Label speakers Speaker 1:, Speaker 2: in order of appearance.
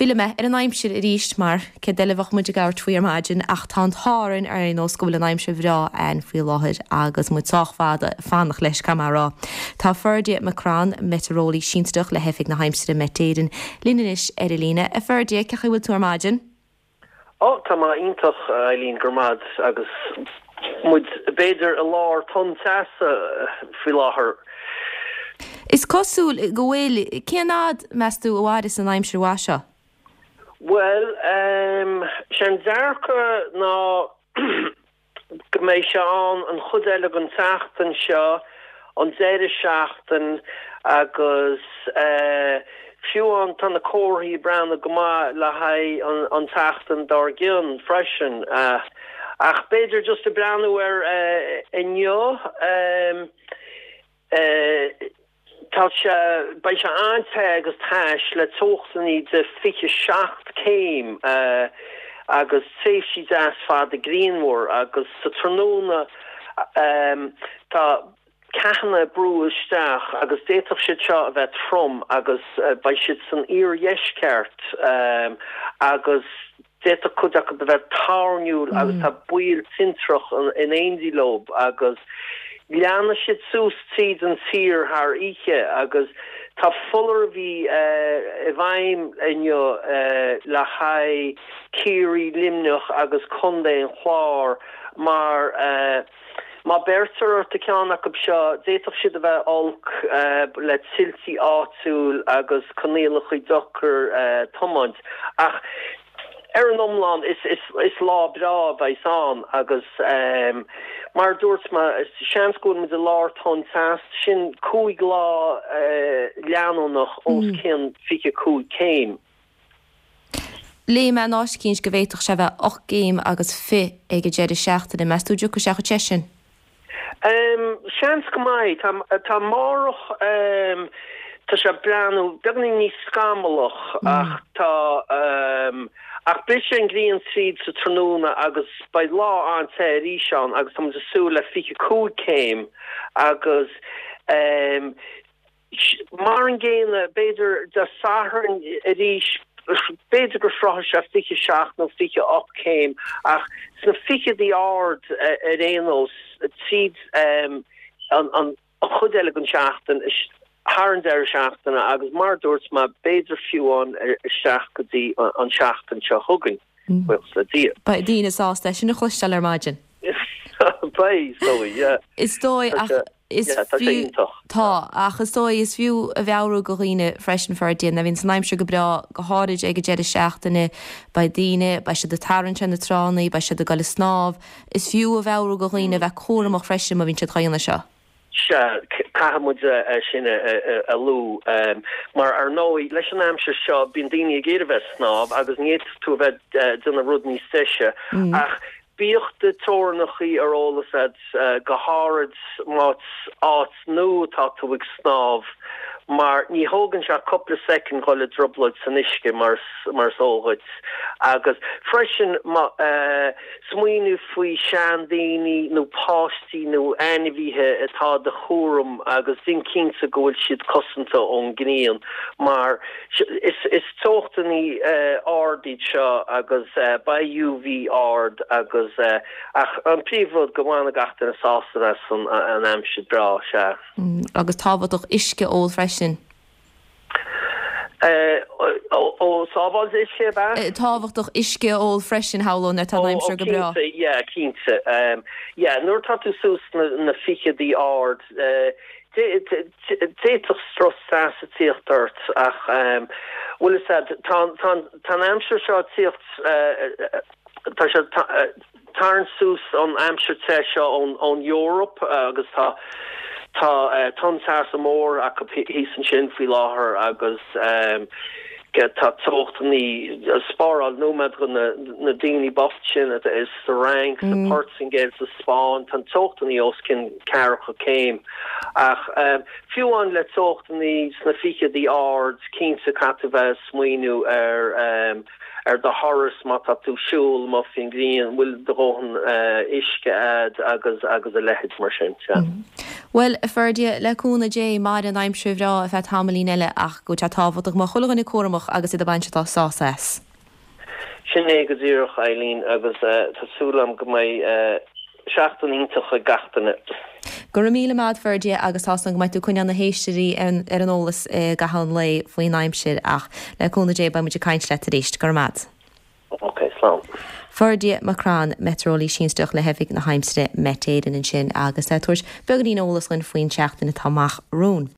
Speaker 1: Fillfidh mé ar an aimsir arís mar céard eile a bheadh muid ag labhairt faoi ar maidin ach tá an t-ádh orainn ar aon nós go bhfuil an aimsir bhreá ann faoi láthair agus muid sách fada ag fanacht leis, caithfidh mé a rá. Tá Ferdia McCrann, meitéareolaí sinsearach le hOifig na hAimsire Met Éireann, linn anois ar an líne. A Ferdia, cén chaoi a bhfuil tú ar maidin?
Speaker 2: Ó, tá mé iontach, a Eileen, go raibh maith agat, agus muid, b'fhéidir, i lár tonn teasa faoi láthair.
Speaker 1: Is cosúil go bhfuil. Cén fhad, meas tú, a mhairfeas an aimsir mhaith seo?
Speaker 2: Bhuel, sé an dearcadh ná go mbeidh sé ann an chuid eile den tseachtain seo, an deireadh seachtain agus fiú amháin tá na comharthaí ag breathnú go maith le haghaidh an tseachtain dár gcionn freisin. Ach b'fhéidir just ag breathnú ar inniu, Tá sé, beidh sé an-te agus tais le teochtannaí de 27 céim agus tréimhsí deas fada grianmhar agus sa tráthnóna tá ceathanna ag brú isteach agus d'fhéadfadh siad seo a bheith trom agus beidh siad san iardheisceart agus D'fhéadfadh cuid acu a bheith toirniúil agus tá baol tintreach in éindí leo agus leanfaidh siad suas tríd an tír thar oíche agus tá foláirimh i bhfeidhm inniu le haghaidh Ciarraí, Luimneach agus Contae an Chláir mar má beirtear ort i gceann acu seo d'fhéadfadh siad a bheith olc le tuiltí áitiúil agus coinníollacha deacair tiomáint. Ach ar an iomlán is lá breá a bheas ann agus mar a dúirt mé seans go bhfuil muid i lár tonn teas, sin 5 lá leanúnach os cionn 25 céim.
Speaker 1: Léigh mé in áit eicínt go bhféadfadh sé bheith 8 gcéim agus fi ag an deireadh seachtaine. Meas tú an dtiocfaidh sé chomh te sin?
Speaker 2: Seans go mbeidh. Tá amárach, tá sé ag breathnú beagáinín níos scamallach ach tá, ach brisfidh an ghrian tríd sa tráthnóna agus beidh lá an-te arís ann agus tá muid ag súil le 25 céim agus Mar an gcéanna, b'fhéidir Dé Sathairn arís, b'fhéidir go sroichfidh sé 27 nó 28 céim, ach sna fichidí ard ar aon nós tríd an chuid eile den tseachtain, thar an deireadh seachtaine agus mar a dúirt mé, b'fhéidir fiú amháin isteach go dtí an tseachtain seo chugainn, buíochas le Dia.
Speaker 1: Beidh daoine sásta é sin a chloisteáil ar maidin.
Speaker 2: Beidh, is dóigh, yeah.
Speaker 1: Is dóigh, ach Is
Speaker 2: Yeah, tá sé
Speaker 1: fiú,
Speaker 2: iontach.
Speaker 1: tá, ach is dóigh, is fiú a mheabhrú go dhaoine freisin, Ferdia, nuair a bhíonns an aimsir go breá, go háirid ag an deireadh seachtaine, beidh daoine, beidh siad ag tarraingt ar na tránna, beidh siad ag dul ag snámh, is fiú a mheabhrú go dhaoine a bheith cúramach freisin má bhíonn siad dhá dhéanamh seo.
Speaker 2: Sea, caithfidh muid é sin a lua, mar ar ndóigh, leis an aimsir seo, bíonn daoine ag iarraidh bheith ag snámh agus ní fhéadfadh tú a bheith ag déanamh rud níos deise, ach Bíodh do teorainneachaí ar eolas agat, go háirid más áit nua atá tú ag snámh, mar ní thógann sé ach cúpla soicind dhul i dtrioblóid san uisce, mar is eol dhuit. Agus freisin, smaoineamh faoi seandaoine nó páistí nó ainmhithe atá i do chúram agus déan cinnte go bhfuil siad cosanta ón ngrian, mar Is teochtannaí ard iad seo agus beidh UV ard agus ach an príomh rud go mbainfidh gach duine sásamh as an aimsir breá, sea.
Speaker 1: Agus tábhachtach uisce a ól freisin.
Speaker 2: Ó sábháilte uisce ab ea?
Speaker 1: Tábhachtach uisce a ól freisin, shamhlóinn, nuair atá an aimsir go breá.
Speaker 2: Ó cinnte, yeah, cinnte. Yeah, nuair atá tú suas sna ficheadaí ard, D'fhéadfadh strus teasa tíocht ort ach, bhfuil fhios a'd, tá an aimsir seo ag tíocht, tá sé ag tarraingt suas an aimsir te seo ón Eoraip agus tá tá tonn teasa mór acu thíos ansin faoi láthair agus tá teochtannaí, spáráil nóiméad do na daoine bocht sin atá sa Fhrainc, sa Phortaingéil, sa Spáinn, tá na teochtannaí os cionn ceathracha céim. Ach fiú amháin le teochtannaí sna ficheadaí ard, cinnte caithfidh tú bheith ag smaoineamh ar ar do thuras má tá tú ag siúl amuigh faoin ngrian, bhfuil do dhóthain uisce a'd agus agus a leithéid mar sin. Sea.
Speaker 1: Bhuel, a Ferdia, le cúnamh Dé, mairfidh an aimsir bhreá ar feadh tamaillín eile ach go bhfuil sé tábhachtach go mbeadh chuile dhuine cúramach agus iad ag baint sásamh as.
Speaker 2: Sin é go díreach, Eileen, agus tá súil agam go mbeidh seachtain iontach ag gach duine.
Speaker 1: Go raibh míle maith a't Ferdia agus tá's agam go mbeidh tú ag coinneáil na héisteoirí ar an eolas i gcaitheamh an lae faoin aimsir ach le cúnamh Dé beidh muid ag caint leat arís. Go raibh maith a't.
Speaker 2: Ok, slán.
Speaker 1: Ferdia McCrann, Meitéareolaí Sinsearach le hOifig na hAimsire, Met Éireann ansin agus é ag tabhairt beagáinín eolas dhuinn faoin tseachtain atá amach romhainn.